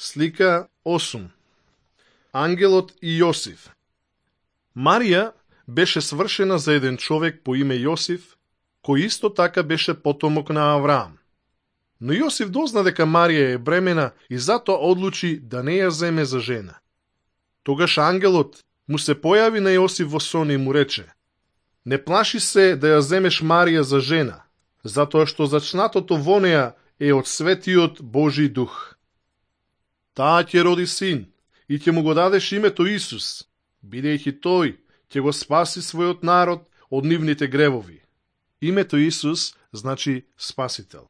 Слика 8. Ангелот и Јосиф. Марија беше свршена за еден човек по име Јосиф, кој исто така беше потомок на Авраам. Но Јосиф дозна дека Марија е бремена и затоа одлучи да не ја земе за жена. Тогаш ангелот му се појави на Јосиф во сон и му рече: не плаши се да ја земеш Марија за жена, затоа што зачнатото во неја е од светиот Божи дух. Таа ќе роди син и ќе му го дадеш името Исус, бидејќи тој ќе го спаси својот народ од нивните гревови. Името Исус значи Спасител.